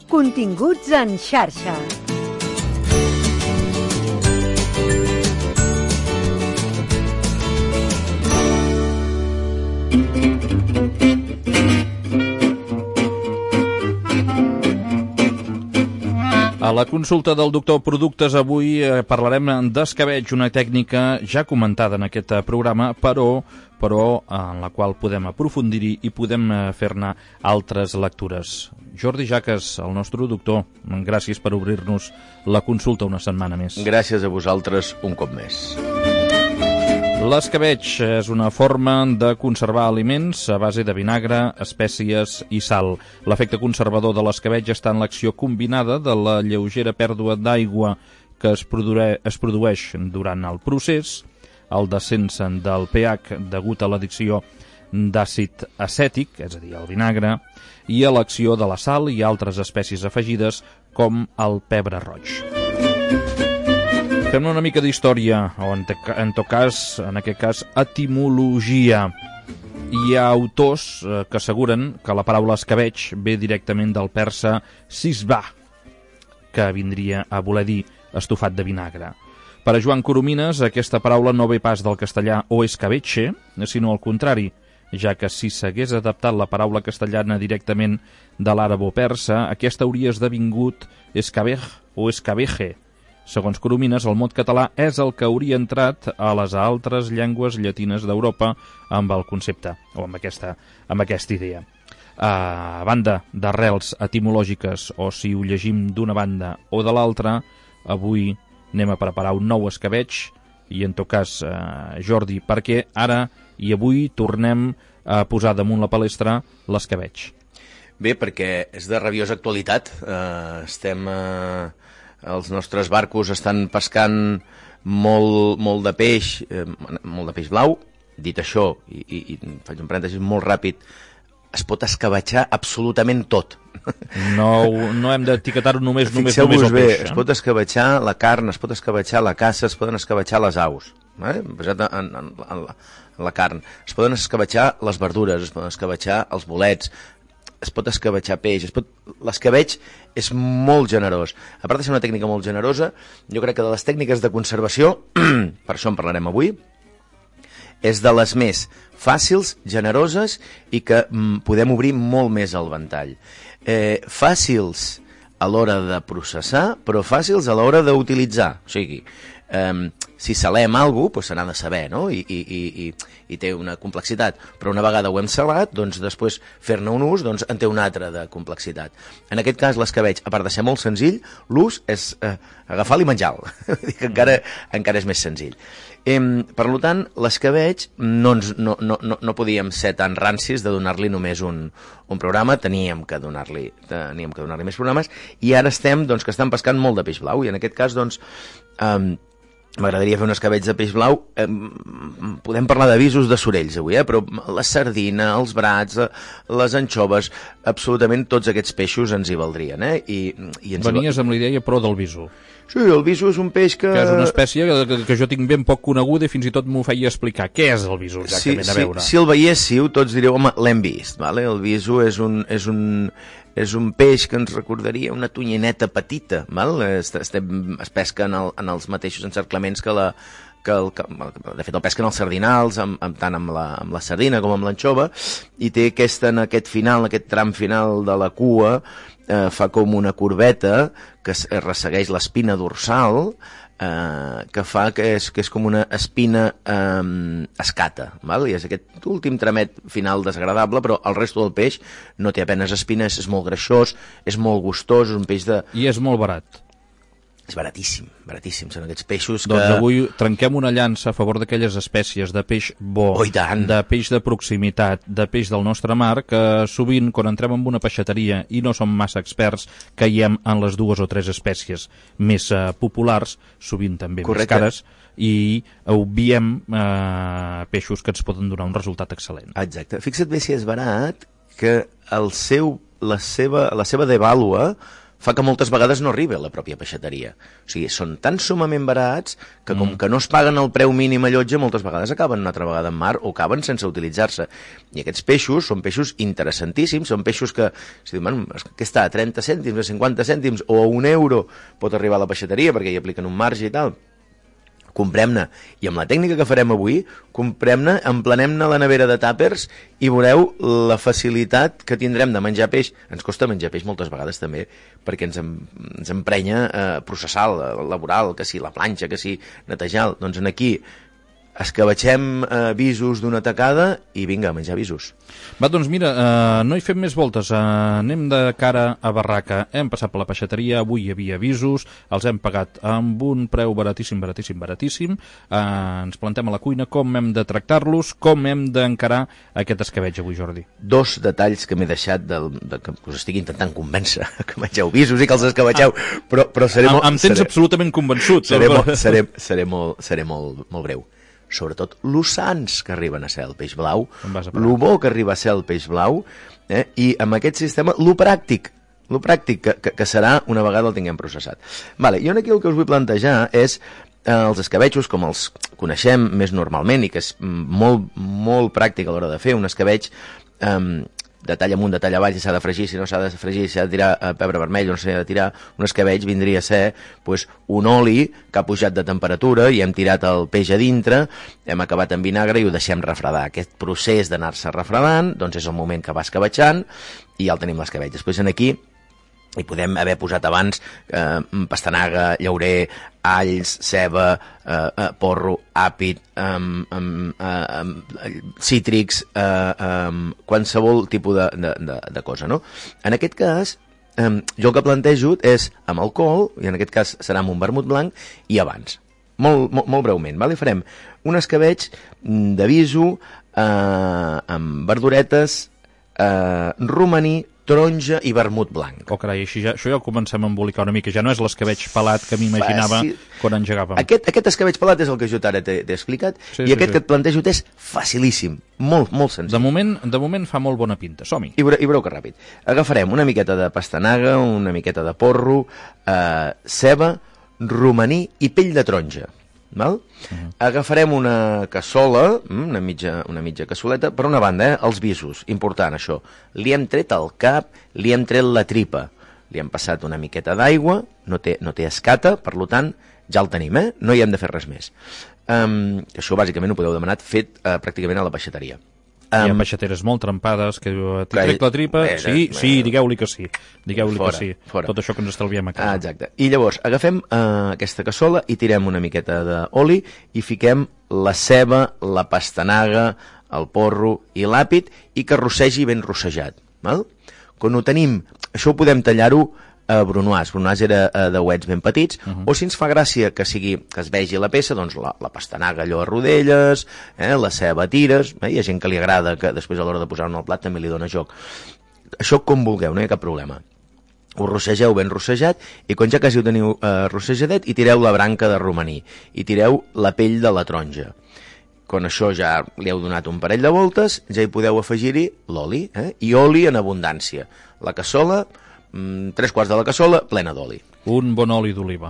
Continguts en xarxa. A la consulta del doctor Productes avui parlarem d'escabetx, una tècnica ja comentada en aquest programa, però en la qual podem aprofundir-hi i podem fer-ne altres lectures. Jordi Jaques, el nostre doctor, gràcies per obrir-nos la consulta una setmana més. Gràcies a vosaltres un cop més. L'escabetx és una forma de conservar aliments a base de vinagre, espècies i sal. L'efecte conservador de l'escabetx està en l'acció combinada de la lleugera pèrdua d'aigua que es produeix durant el procés, el descens del pH degut a l'addició d'àcid acètic, és a dir, el vinagre, i a l'acció de la sal i altres espècies afegides com el pebre roig. Fem una mica d'història, o en aquest cas, etimologia. Hi ha autors que asseguren que la paraula escabetx ve directament del persa sisbah, que vindria a voler dir estofat de vinagre. Per a Joan Coromines, aquesta paraula no ve pas del castellà o escabeche, sinó al contrari, ja que si s'hagués adaptat la paraula castellana directament de l'àrab o persa, aquesta hauria esdevingut escabej o escabeje. Segons Coromines, el mot català és el que hauria entrat a les altres llengües llatines d'Europa amb el concepte, o amb aquesta idea. A banda d'arrels etimològiques, o si ho llegim d'una banda o de l'altra, avui anem a preparar un nou escabetx, i en tot cas, Jordi, perquè ara i avui tornem a posar damunt la palestra l'escabetx. Bé, perquè és de rabiosa actualitat. Els nostres barcos estan pescant molt de peix blau. Dit això, i faig un parèntesi molt ràpid, es pot escabetxar absolutament tot. No hem d'etiquetar-ho només el Fixeu-vos bé, peix. Es pot escabetxar la carn, es pot escabetxar la caça, es poden escabetxar les aus, basat en la carn. Es poden escabetxar les verdures, es poden escabetxar els bolets, es pot escabetxar peix, l'escabetx és molt generós. A part de ser una tècnica molt generosa, jo crec que de les tècniques de conservació, per això en parlarem avui, és de les més fàcils, generoses i que podem obrir molt més el ventall. Fàcils a l'hora de processar, però fàcils a l'hora d'utilitzar. O sigui, si salem alguna cosa, se n'ha de saber, no? I té una complexitat. Però una vegada ho hem salat, doncs després fer-ne un ús en té una altra de complexitat. En aquest cas, l'escabetx, a part de ser molt senzill, l'ús és agafar-lo i menjar-lo. Encara és més senzill. Per tant, l'escabetx no podíem ser tan rancis de donar-li només un programa, teníem que donar-li més programes, i ara estem, que estan pescant molt de peix blau, i en aquest cas, m'agradaria fer un escabetx de peix blau. Podem parlar d'avisos de sorells avui, però la sardina, els brats, les anxoves, absolutament tots aquests peixos ens hi valdrien. Venies amb la idea, però del viso. Sí, el viso és un peix que és una espècie que jo tinc ben poc coneguda i fins i tot m'ho feia explicar. Què és el viso, exactament, a veure? Si el veiéssiu, tots direu, home, l'hem vist. El viso és un peix que ens recordaria una tonyineta petita. Es pesca en els mateixos encerclaments que de fet el pesquen els sardinals, tant amb la sardina com amb l'anxova, i té en aquest tram final de la cua, fa com una corbeta que ressegueix l'espina dorsal, que fa que és com una espina escata, i és aquest últim tramet final desagradable, però el resto del peix no té apenes espines, és molt greixós, és molt gustós, és un peix de... I és molt barat. És baratíssim, són aquests peixos que... Doncs avui trenquem una llança a favor d'aquelles espècies de peix bo, de peix de proximitat, de peix del nostre mar, que sovint, quan entrem en una peixateria i no som massa experts, caiem en les 2 o 3 espècies més populars, sovint també més cares, i obviem peixos que ens poden donar un resultat excel·lent. Exacte. Fixa't bé si és barat que la seva devàlua fa que moltes vegades no arribi a la pròpia peixateria. O sigui, són tan sumament barats que com que no es paguen el preu mínim a llotja, moltes vegades acaben una altra vegada en mar o acaben sense utilitzar-se. I aquests peixos són peixos interessantíssims, són peixos que, si diuen, què està, a 30 cèntims, a 50 cèntims o a €1 pot arribar a la peixateria perquè hi apliquen un marge i tal. Comprem-ne. I amb la tècnica que farem avui, comprem-ne, emplenem-ne la nevera de tàpers i veureu la facilitat que tindrem de menjar peix. Ens costa menjar peix moltes vegades també, perquè ens emprenya processar, laboral, que sí, la planxa, que sí, netejar. Doncs aquí escabatxem visos d'una tacada i vinga, a menjar visos. Va, doncs mira, no hi fem més voltes. Anem de cara a barraca. Hem passat per la peixateria, avui hi havia visos, els hem pagat amb un preu baratíssim. Ens plantem a la cuina com hem de tractar-los, com hem d'encarar aquest escabeig avui, Jordi. 2 detalls que m'he deixat que us estic intentant convèncer que mengeu visos i que els escabatxeu, però seré molt... Em tens absolutament convençut. Seré molt breu. Sobretot l'ussans que arriben a ser el peix blau, lo bo que arriba a ser el peix blau, i amb aquest sistema, lo pràctic que serà una vegada el tinguem processat. Vale, jo aquí el que us vull plantejar és els escabetxos, com els coneixem més normalment i que és molt pràctic a l'hora de fer un escabeig de tall amunt, de tall avall, si s'ha de fregir, si no s'ha de fregir, si s'ha de tirar pebre vermell o no s'ha de tirar, un escabeig vindria a ser un oli que ha pujat de temperatura i hem tirat el peix a dintre, hem acabat en vinagre i ho deixem refredar. Aquest procés d'anar-se refredant, doncs és el moment que va escabatxant i ja el tenim l'escabeig. Després aquí hi podem haver posat abans pastanaga, llaurer, alls, ceba, porro, àpid, cítrics, qualsevol tipus de cosa, no? En aquest cas, jo el que plantejo és amb alcohol, i en aquest cas serà amb un vermut blanc, i abans. Molt breument, vale? Farem un escabeig de viso amb verduretes, romaní, taronja i vermut blanc. Oh, carai, això ja ho comencem a embolicar una mica. Ja no és l'escabeig pelat que m'imaginava quan engegàvem. Aquest escabeig pelat és el que jo ara t'he explicat, i aquest que et plantejo és facilíssim, molt senzill. De moment fa molt bona pinta. Som-hi. I veureu que ràpid. Agafarem una miqueta de pastanaga, una miqueta de porro, ceba, romaní i pell de taronja. Val? Agafarem una cassola, una mitja cassoleta, per una banda, els visos, important això, li hem tret el cap, li hem tret la tripa, li hem passat una miqueta d'aigua, no té escata, per tant ja el tenim, no hi hem de fer res més. Això bàsicament ho podeu demanar fet pràcticament a la peixateria. Hi ha peixateres molt trempades que diu, t'hi trec la tripa, sí, digueu-li que sí, que sí, tot això que ens estalviem a casa. Exacte, i llavors agafem aquesta cassola i tirem una miqueta d'oli i fiquem la ceba, la pastanaga, el porro i l'àpid i que rossegi ben rossejat. Quan ho tenim, això ho podem tallar-ho brunoise era de uets ben petits, o si ens fa gràcia que es vegi la peça, doncs la pastanaga allò a rodelles, la ceba a tires, hi ha gent que li agrada que després a l'hora de posar-ho al plat també li dona joc. Això com vulgueu, no hi ha cap problema. Ho rossegeu ben rossejat i quan ja quasi ho teniu rossejadet hi tireu la branca de romaní i tireu la pell de la taronja. Quan això ja li heu donat un parell de voltes, ja hi podeu afegir-hi l'oli, i oli en abundància. La cassola, 3/4 de la cassola plena d'oli. Un bon oli d'oliva.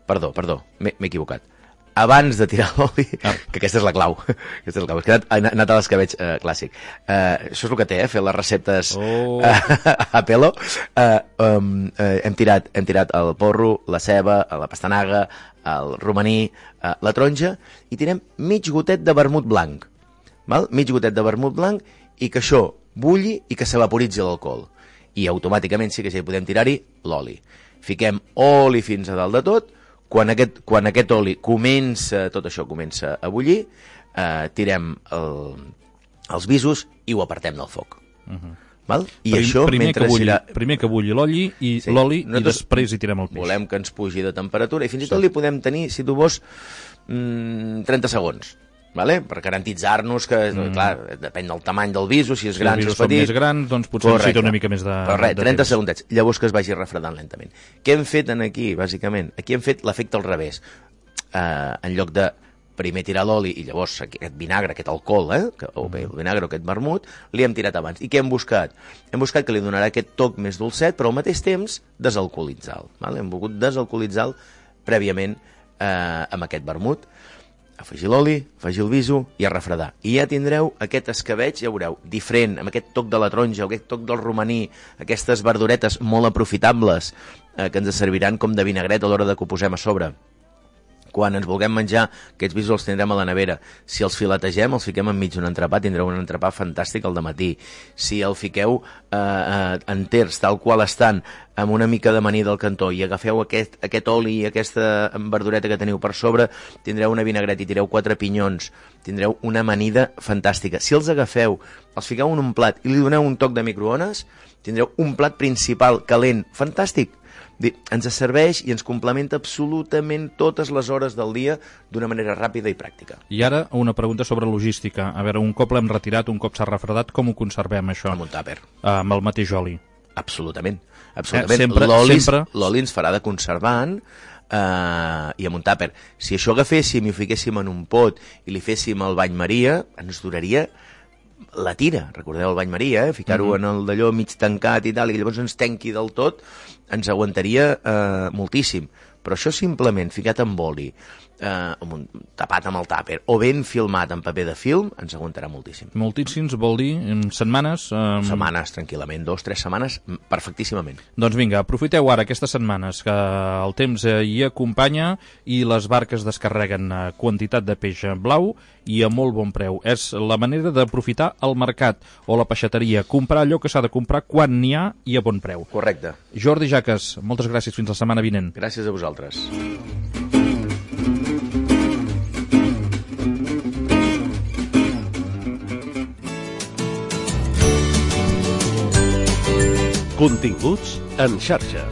Perdó, m'he equivocat. Abans de tirar l'oli, que aquesta és la clau. He anat a l'escabeig clàssic. Això és el que té, fer les receptes a pelo. Hem tirat el porro, la ceba, la pastanaga, el romaní, la taronja, i tirem mig gotet de vermut blanc. Mig gotet de vermut blanc i que això bulli i que s'evaporitzi l'alcohol. I automàticament sí que ja hi podem tirar-hi l'oli. Fiquem oli fins a dalt de tot. Quan aquest oli tot això comença a bullir, tirem els visos i ho apartem del foc. I això primer que bulli l'oli i després hi tirem el peix. Volem que ens pugi de temperatura i fins i tot li podem tenir, si tu vols, 30 segons. Per garantitzar-nos que, clar, depèn del tamany del viso, si és gran, si és petit. Si els visos són més grans, doncs potser necessita una mica més de temps. 30 segundets, llavors que es vagi refredant lentament. Què hem fet aquí, bàsicament? Aquí hem fet l'efecte al revés. En lloc de primer tirar l'oli i llavors aquest vinagre, aquest alcohol, o bé el vinagre o aquest vermut, li hem tirat abans. I què hem buscat? Hem buscat que li donarà aquest toc més dolcet, però al mateix temps desalcoholitzar-lo. Hem volgut desalcoholitzar-lo prèviament amb aquest vermut. Afegir l'oli, afegir el viso i a refredar. I ja tindreu aquest escabeig, ja veureu, diferent, amb aquest toc de la taronja, aquest toc del romaní, aquestes verduretes molt aprofitables que ens serviran com de vinagret a l'hora de que ho posem a sobre. Quan ens vulguem menjar, aquests visos els tindrem a la nevera. Si els filetegem, els fiquem enmig d'un entrepà, tindreu un entrepà fantàstic al dematí. Si el fiqueu enters, tal qual estan, amb una mica d'amanir del cantó, i agafeu aquest oli i aquesta verdureta que teniu per sobre, tindreu una vinagret i tireu 4 pinyons, tindreu una amanida fantàstica. Si els agafeu, els fiqueu en un plat i li doneu un toc de microones, tindreu un plat principal calent, fantàstic. Ens serveix i ens complementa absolutament totes les hores del dia d'una manera ràpida i pràctica. I ara una pregunta sobre logística. A veure, un cop l'hem retirat, un cop s'ha refredat, com ho conservem, això? Amb un tàper. Amb el mateix oli? Absolutament. Sempre. L'oli ens farà de conservant i amb un tàper. Si això agaféssim i ho fiquéssim en un pot i li féssim el bany Maria, ens duraria la tira. Recordeu el bany Maria, ficar-ho en el d'allò mig tancat i tal, i llavors ens tanqui del tot, ens aguantaria moltíssim. Però això simplement ficat amb oli, tapat amb el tàper, o ben filmat en paper de film, ens aguantarà moltíssim. Moltíssims vol dir en setmanes? Setmanes, tranquil·lament, 2-3 setmanes, perfectíssimament. Doncs vinga, aprofiteu ara aquestes setmanes que el temps hi acompanya i les barques descarreguen quantitat de peix blau i a molt bon preu. És la manera d'aprofitar el mercat o la peixateria, comprar allò que s'ha de comprar quan n'hi ha i a bon preu. Correcte. Jordi Jaques, moltes gràcies, fins la setmana vinent. Gràcies a vosaltres. Continguts en xarxa.